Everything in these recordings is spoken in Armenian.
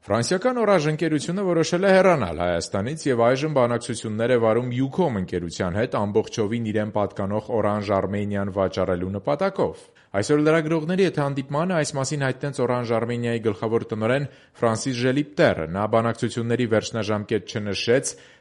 Ֆրանսիական Orange ընկերությունը որոշել է հեռանալ Հայաստանից եւ այժմ բանակցություններ է վարում Ucom ընկերության հետ ամբողջովին իրեն պատկանող Orange Armenian վաճառելու նպատակով։ Այսօր լրագրողների հետ հանդիպմանը այս մասին հայտնեց Orange Armenia-ի գլխավոր տնօրեն Ֆրանսիս Ժելիպտերը։ Նա բանակցությունների վերջնաժամկետ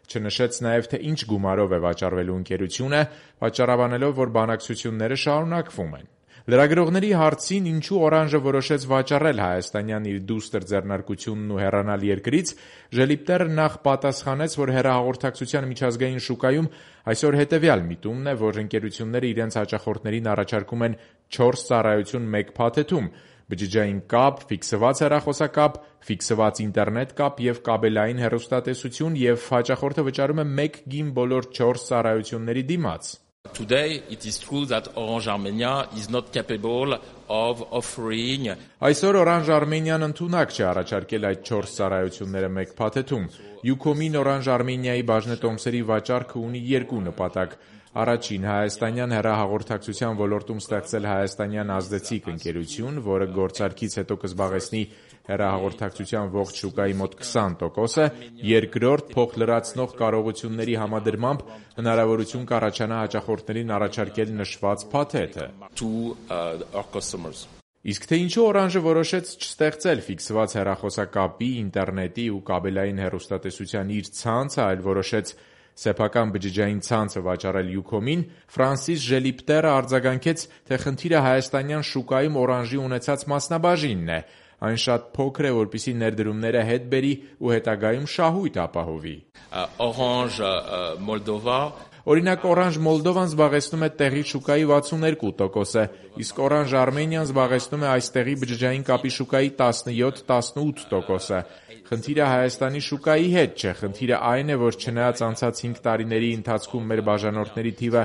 չնշեց նաեւ թե ինչ գումարով է վաճառվելու ընկերությունը, պատճառաբանելով, որ բանակցությունները շարունակվում են։ Լրագրողների հարցին, ինչու Օրանժը որոշեց վաճառել հայաստանյան իր դուստր ձեռնարկությունն ու հեռանալ երկրից, Ժելիպտերը նախ պատասխանեց, որ հեռահաղորդակցության միջազգային շուկայում այսօր հետևյալ միտումն է, որ ընկերությունները իրենց հաճախորդներին առաջարկում են 4 ծառայություն մեկ փաթեթում՝ բջջային կապ, ֆիքսված հեռախոսակապ, ֆիքսված ինտերնետ կապ եւ կաբելային հեռուստատեսություն եւ հաճախորդը վճարում է 1 գին բոլոր 4 ծառայությունների դիմաց։ Today, it is true that Orange Armenia is not capable of offering. Այսօր Orange Armenian ընդունակ չէ առաջարկել այդ 4 ծառայությունները մեկ փաթեթում։ Ucom-ին Orange Armenia-ի բաժնետոմսերի վաճառքը ունի 2 նպատակ։ Առաջին, հայաստանյան հեռահաղորդակցության ոլորտում ստեղծել հայաստանյան ազդեցիկ ընկերություն, որը գործարքից հետո կզբաղեցնի հեռահաղորդակցության ողջ շուկայի մոտ 20%-ը, երկրորդ, փոխլրացնող կարողությունների համադրմամբ հնարավորություն կառաջանա հաճախորդներին առաջարկել նշված փաթեթը։ Իսկ թե ինչու Օրանժը որոշեց չստեղծել ֆիքսված հեռախոսակապի, ինտերնետի ու կաբելային հեռուստատեսության իր ցանցը, այլ որոշեց սեփական բջջային ցանցը վաճառել Ucom-ին, Ֆրանսիս Ժելիպտերը արձագանքեց, թե խնդիրը հայաստանյան շուկայում Օրանժի ունեցած մասնաբաժինն է։ Այն շատ փոքր է, որպեսզի ներդրումները հետ բերի ու հետագայում շահույթ ապահովի։ Orange Moldova. Օրինակ, Orange Moldova-ն զբաղեցնում է տեղի շուկայի 62%-ը, իսկ Orange Armenia-ն զբաղեցնում է այստեղի բջջային կապի շուկայի 17-18%-ը։ Խնդիրը Հայաստանի շուկայի հետ չէ, խնդիրը այն է, որ չնայած անցած 5 տարիների ընթացքում մեր բաժանորդների թիվը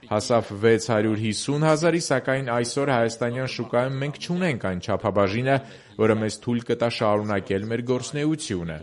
հասավ 650 հազարի, սակայն այսօր հայաստանյան շուկայում մենք չունենք այն չափաբաժինը, որը մեզ թույլ կտա շարունակել մեր գործունեությունը։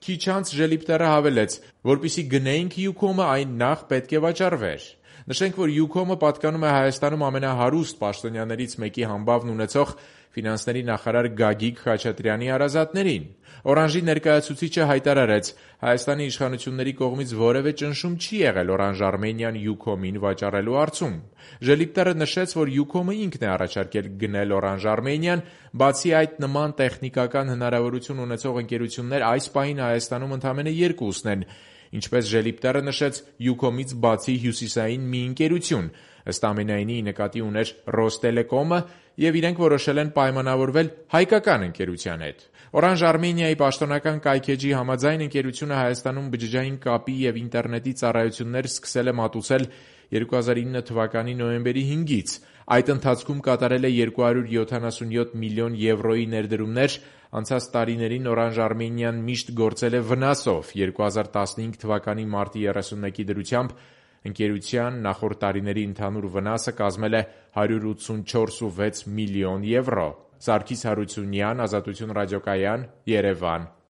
Քիչ անց Ժելիպտերը հավելեց, որպեսզի գնեինք Ucom-ը, այն նախ պետք է վաճառվեր։ Նշենք, որ Ucom-ը պատկանում է Հայաստանում ամենահարուստ պաշտոնյաներից մեկի համբավն ունեցող ֆինանսների նախարար Գագիկ Խաչատրյանի հարազատներին։ Օրանժի ներկայացուցիչը հայտարարեց, Հայաստանի իշխանությունների կողմից որևէ ճնշում չի եղել Orange Armenian Ucom-ին վաճառելու հարցում։ Ժելիպտերը նշեց, որ Ucom-ը ինքն է առաջարկել գնել Orange Armenian, բացի այդ նման տեխնիկական հնարավորություն ունեցող ընկերություններ այս պահին Հայաստանում ընդամենը 2-ն են։ Ինչպես Ժելիպտերը նշեց, Ucom-ից բացի հյուսիսային մի ընկերություն, ըստ ամենայնի նկատի ուներ Ռոստելեկոմը, եւ իրենք որոշել են պայմանավորվել հայկական ընկերության հետ։ Orange Armenia-ի պաշտոնական կայքեջի համաձայն ընկերությունը Հայաստանում բջջային կապի եւ ինտերնետի ծառայություններ սկսել է մատուցել 2009 թվականի նոյեմբերի 5-ից։ Այդ ընթացքում կատարել է 277 միլիոն եվրոյի ներդրումներ, անցած տարիներին Orange Armenian միշտ գործել է վնասով։ 2015 թվականի մարտի 31-ի դրությամբ ընկերության նախորդ տարիների ընդհանուր վնասը կազմել է 184.6 միլիոն եվրո։ Սարգիս Հարությունյան, Ազատություն ռադիոկայան, Երևան։